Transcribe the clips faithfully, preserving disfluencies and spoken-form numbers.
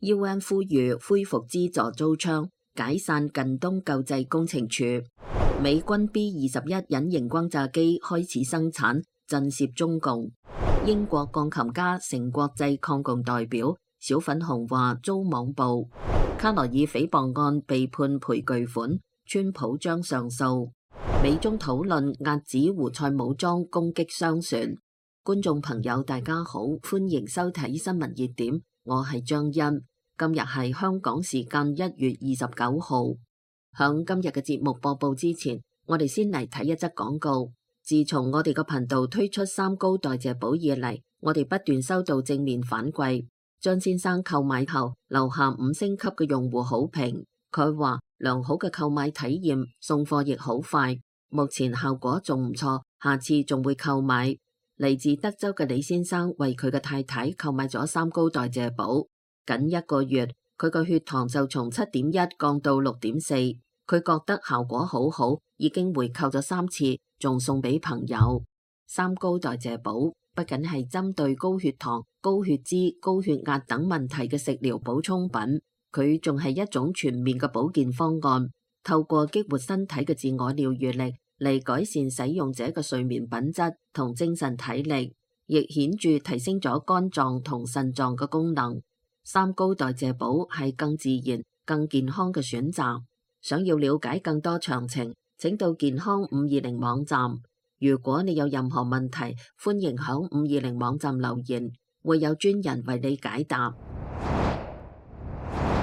U N 呼籲恢復資助租槍，解散近東救濟工程處。美軍 B 二十一隱形轟炸機開始生產，震懾中共。英國鋼琴家成國際抗共代表小粉紅話遭網暴。卡羅爾誹謗案被判賠巨款，川普將上訴。美中討論遏止胡塞武裝攻擊商船。觀眾朋友大家好，歡迎收睇新聞熱點，我係張欣。今日係香港時間一月二十九號。響今日嘅節目播報之前，我哋先嚟睇一則廣告。自從我哋個頻道推出三高代謝寶以嚟，我哋不斷收到正面反饋。張先生購買後留下五星級嘅用戶好評，佢話良好嘅購買體驗，送貨亦好快，目前效果仲唔錯，下次仲會購買。嚟自德州嘅李先生為佢嘅太太購買咗三高代謝寶。僅一個月，佢個血糖就從七點一降到六點四，佢覺得效果好好，已經回購咗三次，仲送俾朋友。三高代謝寶不僅係針對高血糖、高血脂、高血壓等問題嘅食療補充品，佢仲係一種全面嘅保健方案，透過激活身體嘅自我療癒力嚟改善使用者嘅睡眠品質同精神體力，亦顯著提升咗肝臟同腎臟嘅功能。三高代謝寶係更自然、更健康嘅選擇。想要了解更多詳情，請到健康五二零網站。如果你有任何問題，歡迎響五二零網站留言，會有專人為你解答。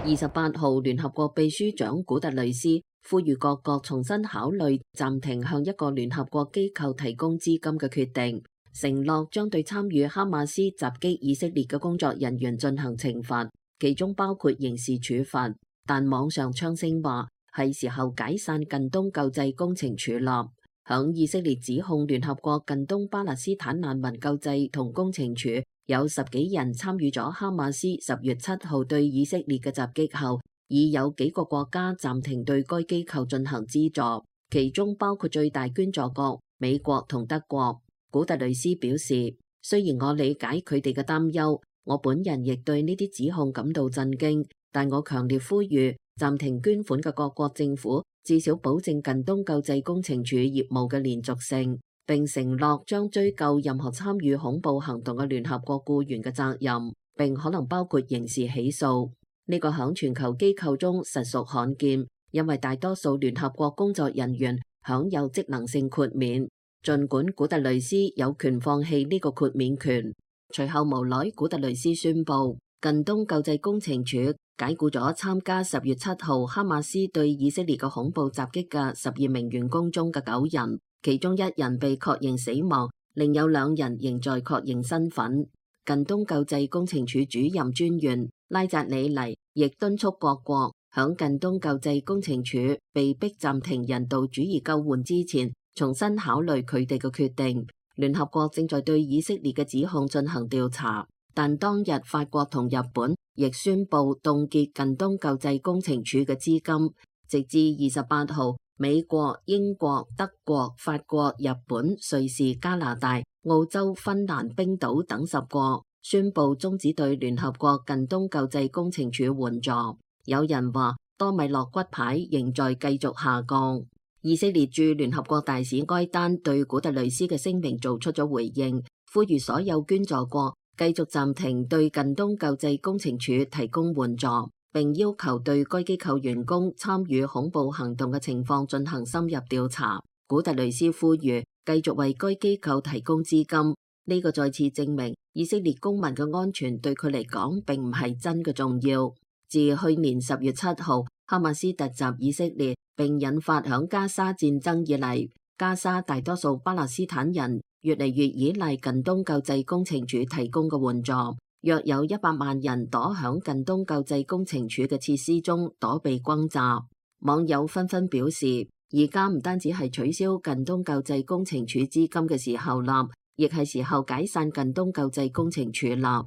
二十八號，聯合國秘書長古特雷斯呼籲各國重新考慮暫停向一個聯合國機構提供資金嘅決定，承諾將對參與哈馬斯襲擊以色列嘅工作人員進行懲罰，其中包括刑事處罰。但網上槍聲話係時候解散近東救濟工程處啦。響以色列指控聯合國近東巴勒斯坦難民救濟同工程處有十幾人參與咗哈馬斯十月七號對以色列嘅襲擊後，已有幾個國家暫停對該機構進行資助，其中包括最大捐助國美國同德國。古特雷斯表示，雖然我理解佢哋嘅擔憂，我本人亦對呢啲指控感到震驚，但我強烈呼籲暫停捐款嘅各國政府至少保證近東救濟工程處業務嘅連續性，並承諾將追究任何參與恐怖行動嘅聯合國僱員嘅責任，並可能包括刑事起訴。呢個響全球機構中實屬罕見，因為大多數聯合國工作人員享有職能性豁免。儘管古特雷斯有權放棄呢個豁免權，隨後無奈古特雷斯宣布近東救濟工程處解僱咗參加十月七號哈馬斯對以色列嘅恐怖襲擊嘅十二名員工中嘅九人，其中一人被確認死亡，另有兩人仍在確認身份。近東救濟工程處主任專員拉扎里尼亦敦促各國響近東救濟工程處被迫暫停人道主義救援之前，重新考慮佢哋嘅決定。聯合國正在對以色列嘅指控進行調查，但當日法國同日本亦宣布凍結近東救濟工程處嘅資金，直至二十八號，美國、英國、德國、法國、日本、瑞士、加拿大、澳洲、芬蘭、冰島等十國宣布終止對聯合國近東救濟工程處援助。有人話多米諾骨牌仍在繼續下降。以色列駐聯合國大使埃丹對古特雷斯嘅聲明做出咗回應，呼籲所有捐助國繼續暫停對近東救濟工程處提供援助，並要求對該機構員工參與恐怖行動嘅情況進行深入調查。古特雷斯呼籲繼續為該機構提供資金，呢個再次證明以色列公民嘅安全對佢嚟講並唔係真嘅重要。自去年十月七號哈馬斯突襲以色列並引發響加沙戰爭以嚟，加沙大多數巴勒斯坦人越嚟越依賴近東救濟工程處提供嘅援助，約有一百萬人躲響近東救濟工程處嘅設施中躲避轟炸。網友紛紛表示，而家唔單止係取消近東救濟工程處資金嘅時候啦，亦係時候解散近東救濟工程處啦。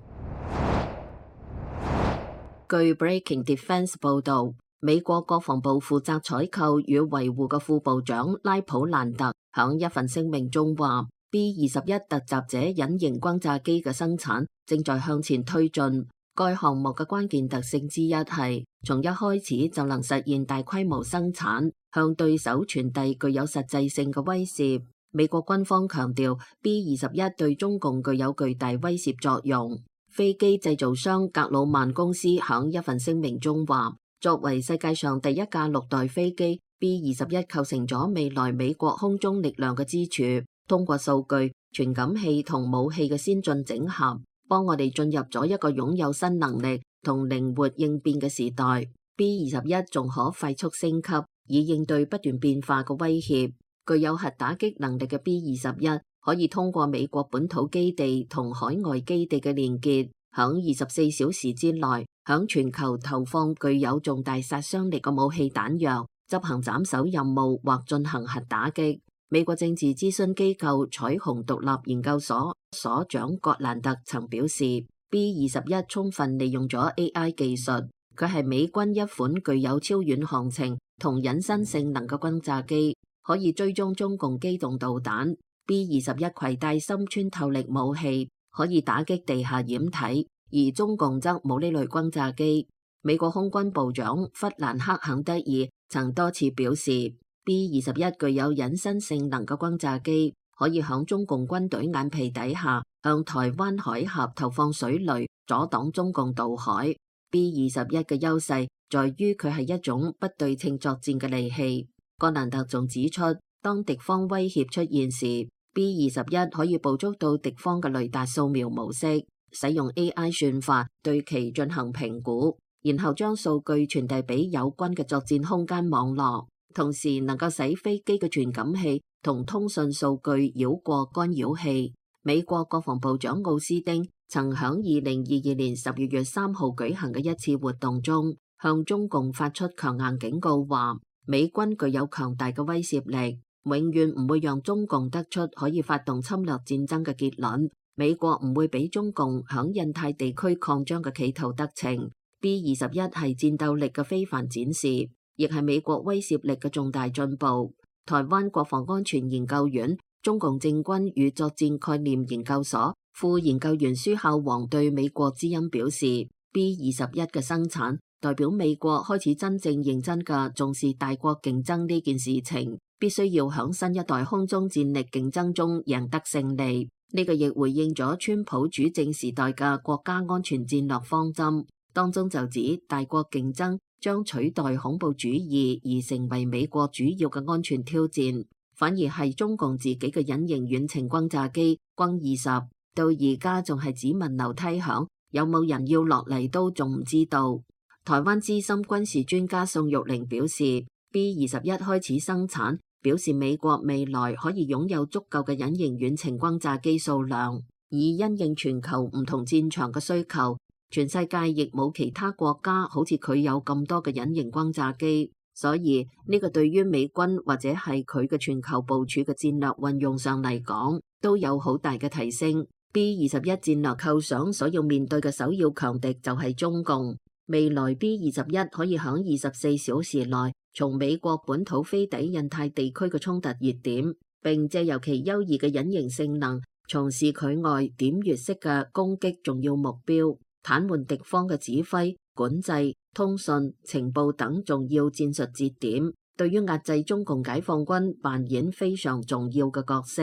據 Breaking Defense 報導，美國國防部負責採購與維護嘅副部長拉普蘭特響一份聲明中話， B 二十一突襲者隱形轟炸機嘅生產正在向前推進。該項目嘅關鍵特性之一係，從一開始就能實現大規模生產，向對手傳遞具有實際性嘅威懾。美國軍方強調 B 二十一對中共具有巨大威懾作用。飛機製造商格魯曼公司響一份聲明中話，作為世界上第一架陸代飛機 B 二十一構成咗未來美國空中力量嘅支柱。通過數據、傳感器同武器嘅先進整合，幫我哋進入咗一個擁有新能力同靈活應變嘅時代。B 二十一仲可快速升級，以應對不斷變化嘅威脅。具有核打擊能力嘅 B 二十一可以通過美國本土基地同海外基地嘅連結，響二十四小時之內響全球投放具有重大殺傷力嘅武器彈藥，執行斬首任務或進行核打擊。美國政治諮詢機構彩虹獨立研究所所長葛蘭特曾表示 ，B 二十一充分利用咗 A I 技術，佢係美軍一款具有超遠航程同隱身性能嘅轟炸機。可以追蹤中共機動導彈。B 二十一攜帶深穿透力武器，可以打擊地下掩體，而中共則冇呢類轟炸機。美國空軍部長弗蘭克肯德爾曾多次表示 ，B 二十一具有隱身性能嘅轟炸機，可以響中共軍隊眼皮底下向台灣海峽投放水雷，阻擋中共渡海。B 二十一嘅優勢在於佢係一種不對稱作戰嘅利器。葛蘭特仲指出，當敵方威脅出現時 ，B 二十一可以捕捉到敵方嘅雷達掃描模式，使用 A I 算法對其進行評估，然後將數據傳遞俾友軍嘅作戰空間網絡，同時能夠使飛機嘅傳感器同通訊數據繞過干擾器。美國國防部長奧斯丁曾響二零二二年十二月三號舉行嘅一次活動中，向中共發出強硬警告，話美軍具有強大嘅威懾力，永遠唔會讓中共得出可以發動侵略戰爭嘅結論。美國唔會俾中共響印太地區擴張嘅企圖得逞。B 二十一係戰鬥力嘅非凡展示，亦係美國威懾力嘅重大進步。台灣國防安全研究院中共政軍與作戰概念研究所副研究員舒孝煌對美國之音表示 ，B 二十一嘅生產代表美國開始真正認真嘅重視大國競爭呢件事情，必須要響新一代空中戰力競爭中贏得勝利。呢個亦回應咗川普主政時代嘅國家安全戰略方針，當中就指大國競爭將取代恐怖主義而成為美國主要嘅安全挑戰，反而係中共自己嘅隱形遠程轟炸機轟二十到而家仲係只聞樓梯響，有冇人要落嚟都仲唔知道。台灣資深軍事專家宋玉玲表示 ，B 二十一開始生產，表示美國未來可以擁有足夠嘅隱形遠程轟炸機數量，以因應全球唔同戰場嘅需求。全世界亦冇其他國家好似佢有咁多嘅隱形轟炸機，所以呢個對於美軍或者係佢嘅全球部署嘅戰略運用上嚟講，都有好大嘅提升。B 二十一戰略構想所要面對嘅首要強敵就係中共。未來 B 二十一可以響二十四小時內從美國本土飛抵印太地區嘅衝突熱點，並借由其優異嘅隱形性能，從事距外點穴式嘅攻擊重要目標，癱瘓敵方嘅指揮、管制、通訊、情報等重要戰術節點，對於壓制中共解放軍扮演非常重要嘅角色。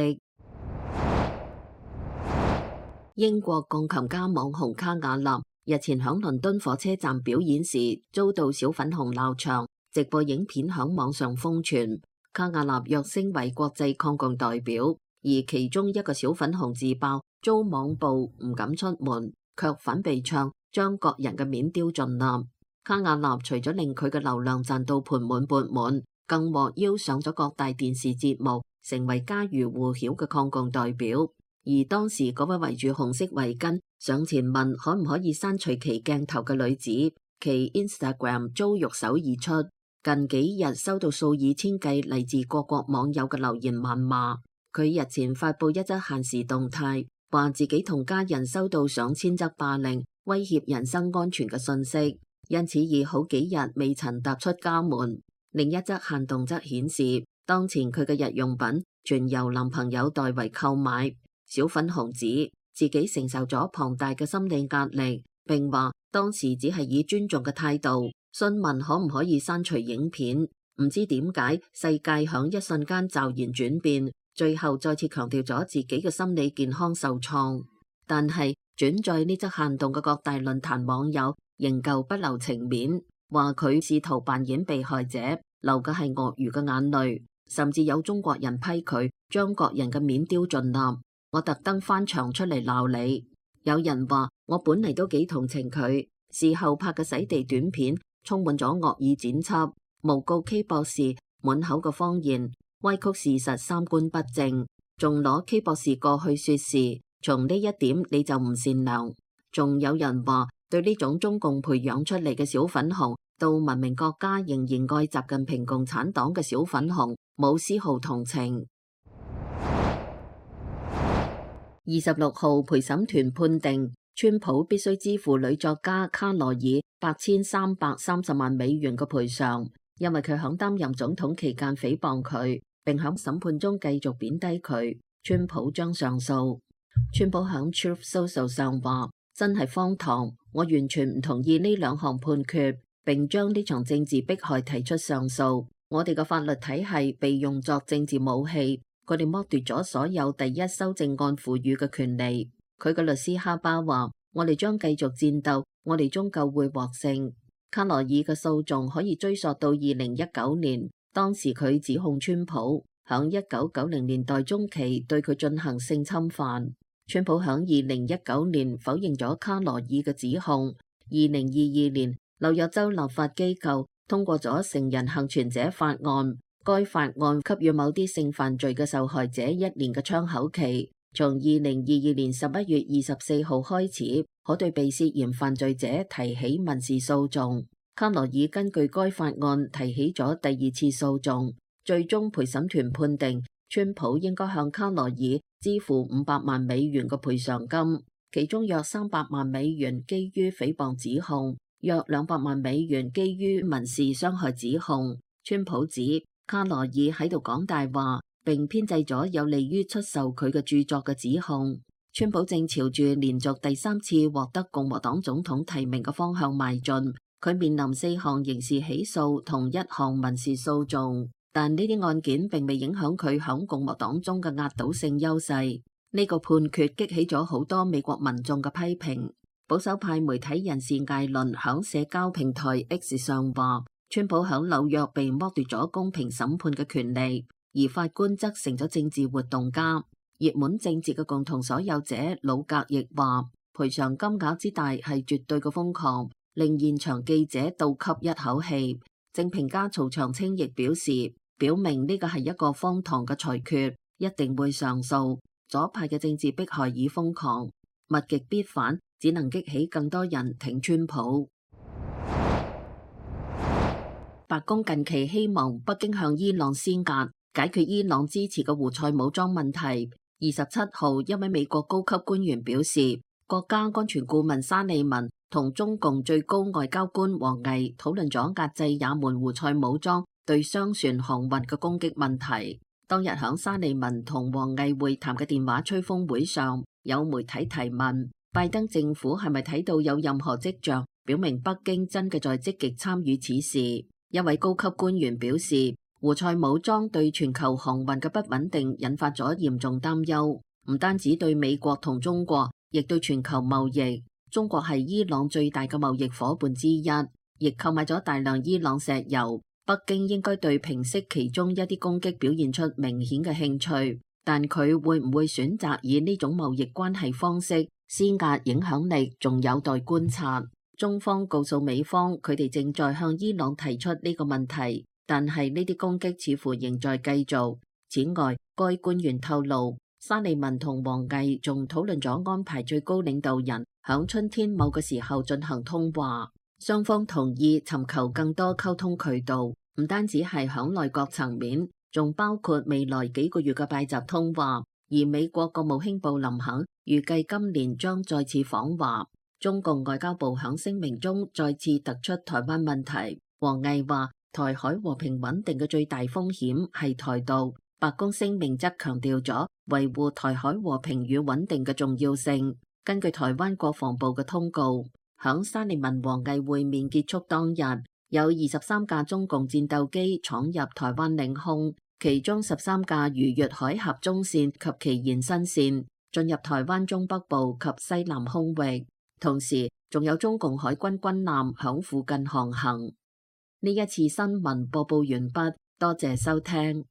英國鋼琴家網紅卡瓦納日前響倫敦火車站表演時遭到小粉紅鬧場，直播影片響網上瘋傳。卡瓦納躍升為國際抗共代表，而其中一個小粉紅自爆遭網暴唔敢出門，卻反被唱將各人嘅面丟盡啦。卡瓦納除咗令佢嘅流量賺到盆滿缽滿，更獲邀上咗各大電視節目，成為家喻戶曉嘅抗共代表。而當時嗰位圍住紅色圍巾上前問可唔可以刪除其鏡頭嘅女子，其 Instagram 遭肉搜而出，近幾日收到數以千計嚟自各國網友嘅留言謾罵。佢日前發布一則限時動態，話自己同家人收到上千則霸凌、威脅人身安全嘅信息，因此已好幾日未曾踏出家門。另一則限動則顯示，當前佢嘅日用品全由男朋友代為購買。小粉紅指自己承受咗龐大嘅心理壓力，並話當時只係以尊重嘅態度詢問可唔可以刪除影片。唔知點解世界響一瞬間驟然轉變，最後再次強調咗自己嘅心理健康受創。但係轉載呢則限動嘅各大論壇網友仍舊不留情面，話佢試圖扮演被害者，流嘅係鱷魚嘅眼淚。甚至有中國人批佢將國人嘅面丟盡啦，我特登翻牆出嚟鬧你。有人話我本嚟都幾同情佢，事後拍嘅洗地短片充滿咗惡意剪輯，誣告 K 博士滿口嘅謊言，歪曲事實，三觀不正，仲攞 K 博士過去說事，從呢一點你就唔善良。仲有人話對呢種中共培養出嚟嘅小粉紅，到文明國家仍然愛習近平共產黨嘅小粉紅冇絲毫同情。二十六號陪審團判定，川普必須支付女作家卡羅爾八千三百三十萬美元嘅賠償，因為佢響擔任總統期間誹謗佢，並響審判中繼續貶低佢。川普將上訴。川普響 Truth Social 上話：真係荒唐，我完全唔同意呢兩項判決，並將呢場政治迫害提出上訴。我哋嘅法律體系被用作政治武器，佢哋剝奪咗所有第一修正案賦予嘅權利。佢嘅律師哈巴話：我哋將繼續戰鬥，我哋終究會獲勝。卡羅爾嘅訴訟可以追溯到二零一九年，當時佢指控川普響一九九零年代中期對佢進行性侵犯。川普響二零一九年否認咗卡羅爾嘅指控。二零二二年，紐約州立法機構通過咗成人幸存者法案，該法案給予某啲性犯罪嘅受害者一年嘅窗口期，從二零二二年十一月二十四號開始，可對被涉嫌犯罪者提起民事訴訟。卡羅爾根據該法案提起咗第二次訴訟，最終陪審團判定川普應該向卡羅爾支付五百萬美元嘅賠償金，其中約三百萬美元基於誹謗指控，約兩百萬美元基於民事傷害指控。川普指卡羅爾喺度講大話，並編製咗有利於出售佢嘅著作嘅指控。川普正朝住連續第三次獲得共和黨總統提名嘅方向邁進，佢面臨四項刑事起訴同一項民事訴訟，但呢啲案件並未影響佢響共和黨中嘅壓倒性優勢。呢個判決激起咗好多美國民眾嘅批評。保守派媒體人士艾倫響社交平台 X 上話，川普響紐約被剝奪咗公平審判嘅權利，而法官則成咗政治活動家。熱門政治嘅共同所有者魯格亦話，賠償金額之大係絕對嘅瘋狂，令現場記者倒吸一口氣。政評家曹長青亦表示，表明呢個係一個荒唐嘅裁決，一定會上訴。左派嘅政治迫害已瘋狂，物極必反，只能激起更多人挺川普。白宮近期希望北京向伊朗施壓，解決伊朗支持嘅胡塞武裝問題。二十七號，一位美國高級官員表示，國家安全顧問沙利文同中共最高外交官王毅討論咗壓制也門胡塞武裝對商船航運嘅攻擊問題。當日響沙利文同王毅會談嘅電話吹風會上，有媒體提問拜登政府係咪睇到有任何跡象表明北京真嘅在積極參與此事。一位高級官員表示，胡塞武裝對全球航運嘅不穩定引發咗嚴重擔憂，唔單止對美國同中國，亦對全球貿易。中國係伊朗最大嘅貿易夥伴之一，亦購買咗大量伊朗石油。北京應該對平息其中一啲攻擊表現出明顯嘅興趣，但佢會唔會選擇以呢種貿易關係方式施壓影響力，仲有待觀察。中方告訴美方，佢哋正在向伊朗提出呢個問題，但係呢啲攻擊似乎仍在繼續。此外，該官員透露，沙利文同王毅仲討論咗安排最高領導人響春天某個時候進行通話。雙方同意尋求更多溝通渠道，唔單止係響內閣層面，仲包括未來幾個月嘅拜習通話。而美國國務卿布林肯預計今年將再次訪華。中共外交部響聲明中再次突出台灣問題。王毅話，台海和平穩定嘅最大風險係台獨。白宮聲明則強調咗維護台海和平與穩定嘅重要性。根據台灣國防部嘅通告，響沙利文王毅會面結束當日，有二十三架中共戰鬥機闖入台灣領空，其中十三架逾越海峽中線及其延伸線，進入台灣中北部及西南空域。同時，仲有中共海軍軍艦響附近航行。呢一次新聞播報完畢，多謝收聽。